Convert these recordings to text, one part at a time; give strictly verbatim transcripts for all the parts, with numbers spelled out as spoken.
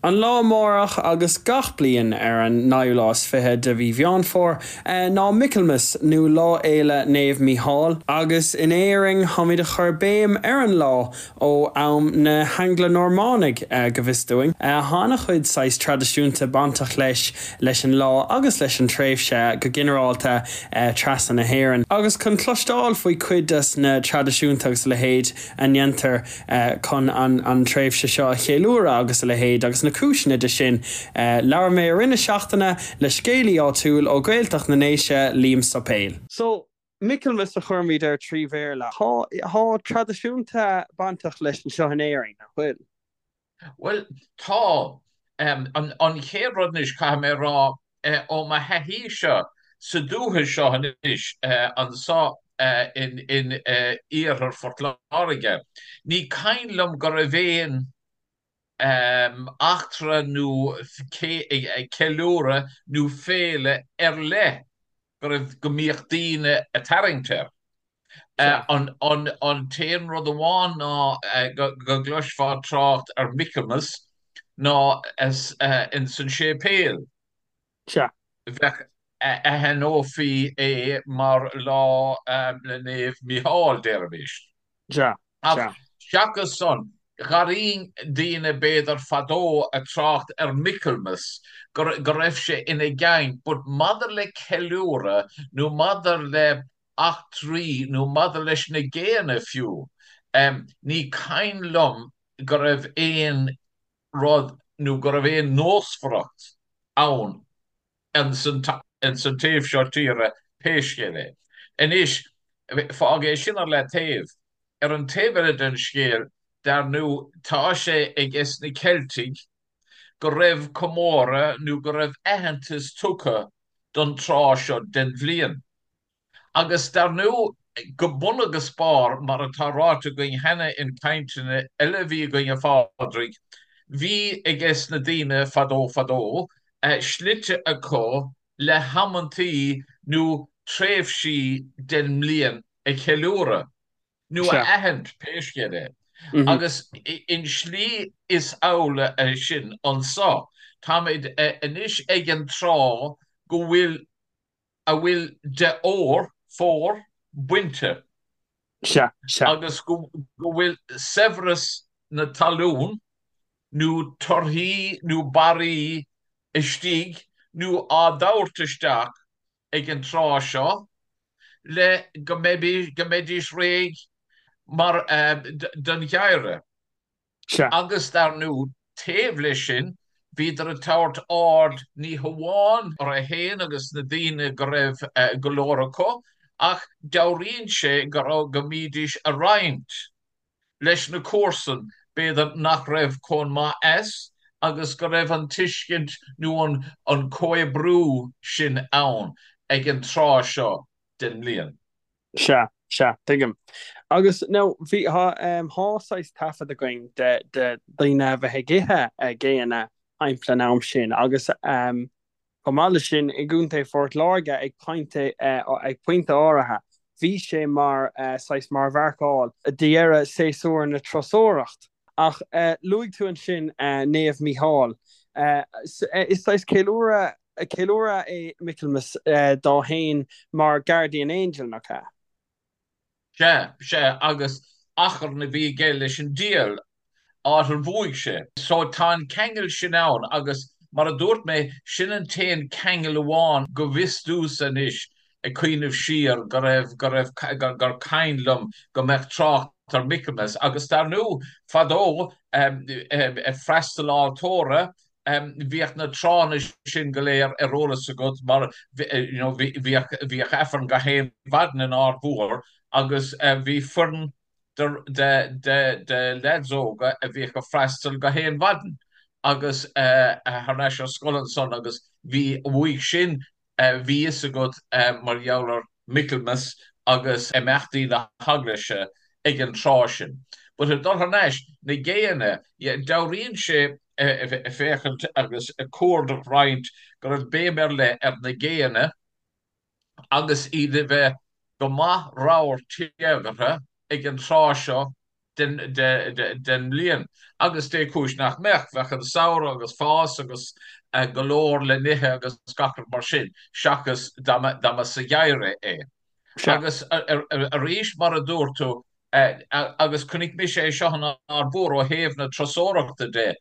An lá amárach agus gach bliain ar an naoú lá is fiche de mhí Mheán Fómhair ná Michaelmas nó Lá Fhéile Naomh Mícheál, agus in Éirinn táimid a chur béim ar an lá ó am na hAngla-Normánaigh go bhfios dúinn. Tá an-chuid saghas traidisiúnta bainteach leis leis an lá agus leis an tréimhse go ginearálta trasna na hÉireann. Agus chun cloisteáil faoi cuid des na traidisiúnta agus a leithéid a ndéantar chun an an tréimhse seo a cheiliúradh agus a leithéid agus na cúiseanna de sin. Labhair mé i rith na seachtaine le scéalaí áitiúil ó Ghaeltacht na nDéise Liam Suipéil. So Michaelmas a chuirimid air trí Bhéarla. Tá tá traidisiúnta bainteach leis anseo in Éirinn nach bhfuil. Well tá um, an, an chéad rud anois caithfidh mé rá uh, ó mo thaithí-se sa dúiche seo anois uh, anseo uh, in, in uh, iarthar Phort Láirge. Ní cuimhin liom go raibh aon um, eachtra nó ceiliúradh nó féile ar leith go raibh go mbíodh daoine ag tarraingt air. Uh, an, an, an t-aon rud amháin ná uh, go, go gcloisfeá trácht ar Michaelmas ná as, uh, in san séipéal. Sea. Bheadh aithneofaí é mar lá um, le Naomh Mícheál deirfimis. Sea. Ach seachas san gharín daoine b'fhéidir fadó ag trácht ar Michaelmas go, go raibh sé ina gang, but maidir le ceiliúradh nó maidir le eachtraí nó maidir leis na géanna fiú. Um, ní cuimhin liom go raibh aon rud nó go raibh aon nósmhaireacht ann an san san taobh seo tíre pé scéal é. Anois fág é sin ar leataobh ar an taobh eile den scéal dar ndóigh tá sé ag es na Ceiltigh go raibh comóradh nó go raibh aitheantas tugtha don tráth seo den bhliain. Agus dar ndóigh go bun agus barr mar atá ráite againn cheana in cainteanna eile bhí againn a Phádraig, bhí ag es na daoine fadó fadó uh, slite acu le hamantaí nó tréimhsí den mbliain a cheiliúradh nó a aithint pé scéal é. Mm -hmm. Agus in slí is amhlaidh é sin anseo. Táimid anois ag an tráth go bhfuil a bhfuil de ór fómhar bainte. Sea, sea. Agus go, go bhfuil saibhreas na talún nó torthaí nó barraí istigh nó á dtabhairt isteach ag an tráth seo le go go mbeidís réidh mar uh, don gheimhreadh. Sea. Agus dar ndóigh taobh leis sin, bhíodar ag tabhairt aird ní hamháin orthu féin agus na daoine go raibh uh, go leor acu, ach dealraíonn sé go raibh go mbídís ag roinnt leis na comharsain b'fhéidir nach raibh chomh maith as agus go raibh an tuiscint nó an, an comhoibriú sin ann ag an tráth seo den mbliain. Sea, sea, tuigim. Agus nó bhí tá um, tá saghas taifead againn de de daoine a bheith ag ithe géanna timpeall an am sin agus um, chomh maith leis sin i gContae Phort Láirge ag pointe uh, ag pointe áirithe. Bhí sé mar uh, saghas mar mharcáil deireadh séasúr na turasóireacht. Ach uh, luaigh tú ansin uh, Naomh Mícheál. Uh, is saghas ceiliúradh ceiliúradh é Michaelmas uh, dó féin mar Guardian Angel nach ea. Sea, sea agus achar na bhí aige leis an diabhal áit ar bhuaigh sé. So tá an ceangal sin ann agus mar a dúirt mé sin an t-aon ceangal amháin go bhfios domhsa anois ag cuimhneamh siar go raibh go raibh gur cuimhin liom go mbeadh trácht ar Michaelmas agus dar ndóigh fadó um, um, freastal altóra um, bhíodh na tráthanna sin go léir ar eolas agat mar you know, bhíodh bhíodh Aifreann gach aon mhaidin in Aird Mhór agus uh, bhí foireann de, de, de, de lads óga a bhíodh ag freastal gach aon mhaidin agus uh, thar n-ais ar scoil ansan agus bhí uaidh sin uh, bhí fhios agat uh, mar gheall ar Michaelmas agus imeachtaí na heaglaise ag an tráth sin. But a dul thar n-ais na géanna dealraíonn sé féachaint agus a cuardach roinnt go raibh béim ar leith ar na géanna agus iad a bheith go maith ramhar téagartha ag an tráth seo den den mbliain. Agus dé cúis nach mbeadh, bheadh an samhradh agus fás agus go leor le n-ithe agus gach rud mar sin, seachas dá mba sa gheimhreadh é. Agus arís, mar a dúirt tú, agus chonaic mise é seo in Aird Mhór ó thaobh na turasóireachta de,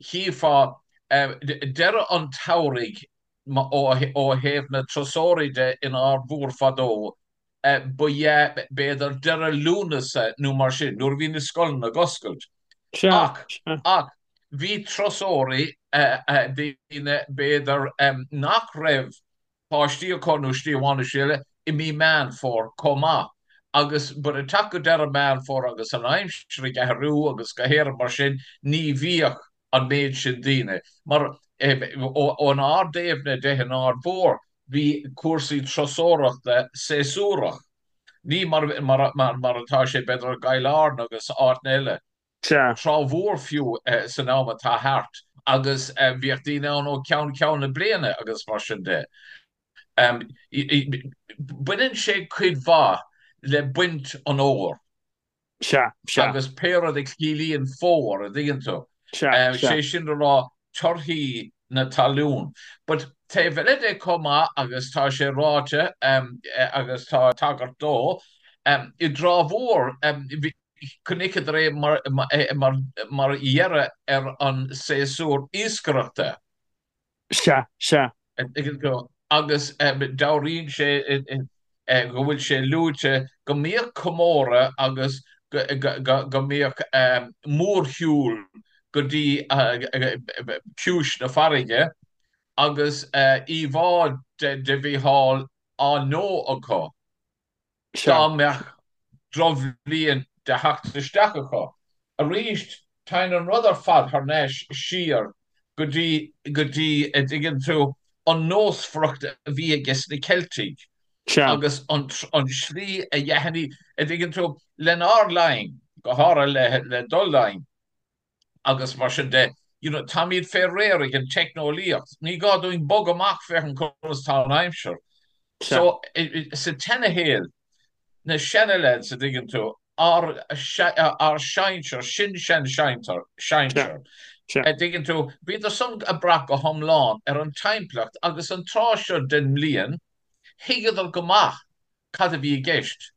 chífeá deireadh an tsamhraidh ó thaobh na turasóirí de in Aird Mhór fadó, ba ea b'fhéidir deireadh Lúnasa nó mar sin, nuair a bhí na scoileanna ag oscailt. Ach, ach bhí turasóirí, daoine b'fhéidir nach raibh páistí acu nó slí amháin nó slí eile, i mí Meán Fómhair chomh maith. Agus but ag teacht go deireadh Meán Fómhair agus an aimsir ag athrú agus go héirim mar sin, ní bhíodh an méid sin daoine. Mar ónár dtaobhna de in Aird Mhór, bhí cúrsaí turasóireachta séasúrach. Ní mar mar atá sé b'fhéidir i gCill Airne agus áiteanna eile. Sea. Trá Mhór fiú san am atá thart agus bhíodh daoine ann ó cheann ceann na bliana agus mar sin de. Baineann sé cuid mhaith le baint an fhómhair. Sea, sea. Agus pé rud a chiallaíonn fómhar, a dtuigeann tú. Sea, sea. Sé sin le rá torthaí na talún. But taobh eile de chomh maith, agus tá sé ráite agus tá tagairt dó, i dTrá Mhór, chonaiceadar é mar dheireadh ar an séasúr iascaireachta. Sea, sea. Agus dealraíonn sé go bhfuil sé luaite go mbíodh comóradh agus go mbíodh mórshiúl go dtí ciumhais na farraige agus íomhá de Mhícheál á ndó acu. Dá mbeadh drochbhliain de theacht isteach acu. Arís, téann an rud ar fad thar n-ais siar go dtí, go dtí, a dtuigeann tú, an nósmhaireacht a bhí ages na Ceiltigh agus an, an slí a dheachaigh, a dtuigeann tú, lenár linn, go háirithe le, le do linn. agus mar sin de, you know, táimid fé réir ag an teicneolaíocht, ní gá dúinn bog amach féachaint conas tá an aimsir. So, sa tseanashaol, na seana-lads, a dtuigeann tú, ár, ár sinsear, sin-sean-sinsear, sinsear, a dtuigeann tú, bhíodar san ag brath go hiomlán ar an timpeallacht agus an tráth seo den mbliain, thuigeadar go maith cad a bhí i gceist.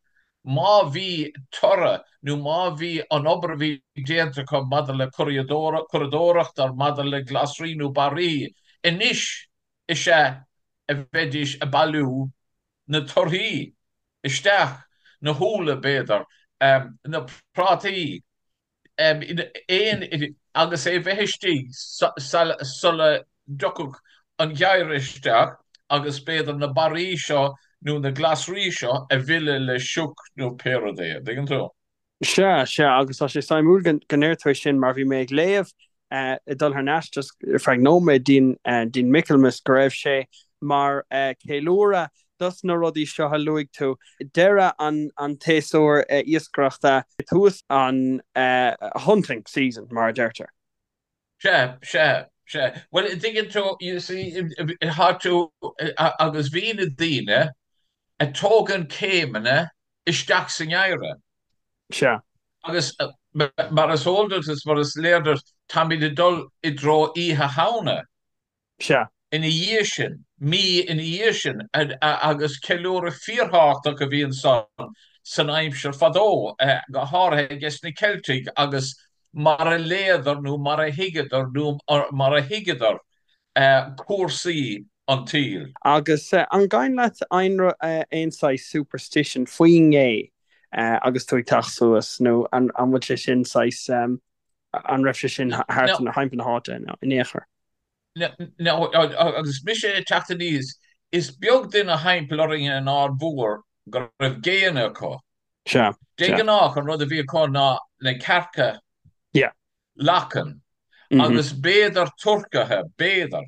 Má bhí toradh nó má bhí an obair a bhí déanta acu maidir le curadóireacht or maidir le glasraí nó barraí, anois is ea a bheidís ag bailiú na torthaí isteach, na húlla b'fhéidir, na prátaí. aon agus é bheith istigh sula dtiocfadh an geimhreadh isteach agus b'fhéidir na barraí seo nó na glasraí seo a mhilleadh le sioc nó pé rud é, an dtuigeann tú? Sea, sea, agus tá sé suimiúil go ndeir tú é sin mar bhí mé ag léamh ag dul thar n-ais just ar feadh nóiméad dtí'n Michaelmas go raibh sé mar ceiliúradh dos na rudaí seo a luaigh tú, deireadh an tséasúir iascaireachta, tús an hunting season, mar a deirtear. Sea, sea, sea. Bhuel, an dtuigeann tú, you see, tá tú, agus bhí na daoine ag tógaint céimeanna isteach sa ngeimhreadh. Sea. Agus mar is eol duit is mar is léir duit, táimid ag dul i dtreo Oíche Shamhna. Sea. Ina dhiaidh sin, mí ina dhiaidh sin, agus ceiliúradh fíorthábhachtach a bhí ansan san aimsir fadó, go háirithe ages na Ceiltigh agus mar a léadar nó mar a thuigeadar nó mar a thuigeadar cúrsaí an tsaoil. Agus an gabhann leat aon saghas superstition faoin ngé agus tú ag teacht suas nó an bhfuil sé sin saghas, an raibh sé sin thart thimpeall na háite in aon chor? Now, agus mise ag teacht aníos, is beag duine thimpeall orainn in Aird Mhór go raibh géanna acu. Sea, De sea. ghnáth, an rud a bhí acu ná na cearca Yeah. lachain Mhm. agus b'fhéidir turcaithe, b'fhéidir.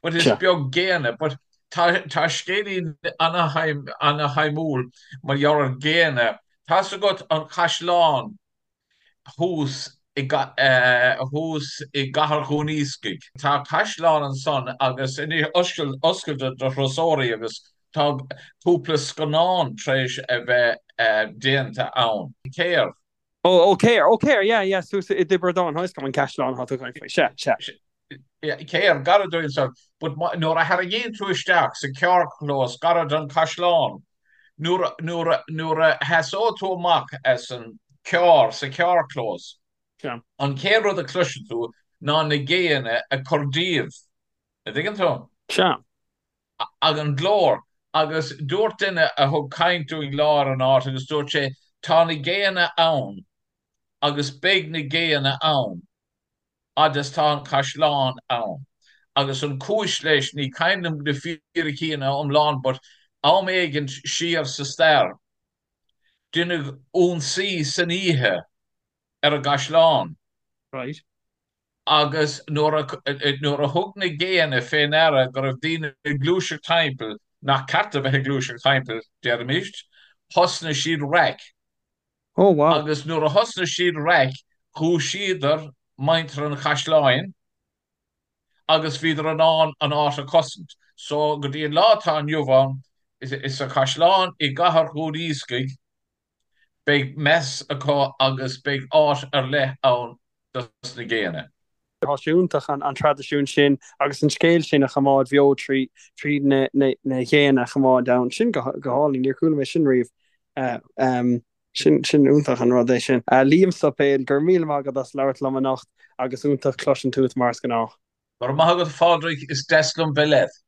But is Sea. beag géanna. But tá, tá scéilín ana-shuimiúil mar gheall ar ghéanna. Tá's agat an caisleán thuas i thuas i gCathair Dhún Iascaigh. Tá caisleán ansan agus anois oscailte do thurasóirí agus tá cúpla scannán tar éis a bheith déanta ann. Céard? Ó, ó Céir, ó Céir, yeah, yeah, suas i dTiobraid Árann, tá a fhios agam an caisleán atá tú ag caint faoi, sea, sea. Céir, gar dúinn ansan, but nuair a tharraingíonn tú isteach sa carrchlós gar don chaisleán, nuair, nuair, nuair a sheasóidh tú amach as an carr sa charrchlós, Sea. an chéad rud a chloiseann tú ná na géanna ag cur díobh, a dtuigeann tú? Sea. Ag an glór, agus dúirt duine a thug caint dúinn lá ar an áit agus dúirt sé, tá na géanna ann agus beidh na géanna ann fhad is tá an caisleán ann. Agus an cúis leis, ní cuimhin liom na fíricí ina iomlán but am éigint siar sa stair, deineadh ionsaí san oíche ar an gcaisleán. Right. Agus nuair a nuair a thug na géanna fé ndeara go raibh daoine ag gluaiseacht timpeall, nach ceart a bheith ag gluaiseacht timpeall, déarfaimíst, thosnaigh siad raic. Oh wow. Agus nuair a thosnaigh siad raic, dhúisíodar muintir an chaisleáin agus bhíodar in ann an áit a chosaint. So go dtí an lá atá inniu ann, sa chaisleán i gcathair Dhún Iascaigh, Beidh meas acu agus beidh áit ar leith ann dos na géanna. Tá sé iontach an traidisiún sin agus an scéal sin a choimeád bheo trí trí na na géanna a choimeád ann. Sin go hálainn, níor chuala mé sin riamh. Sin sin iontach an rud é sin. Liam Suipéil, go raibh míle maith agat as labhairt liom anocht agus iontach cloisint uait mar is gnách. Go raibh maith agat a Phádraig, is deas liom bheith leat.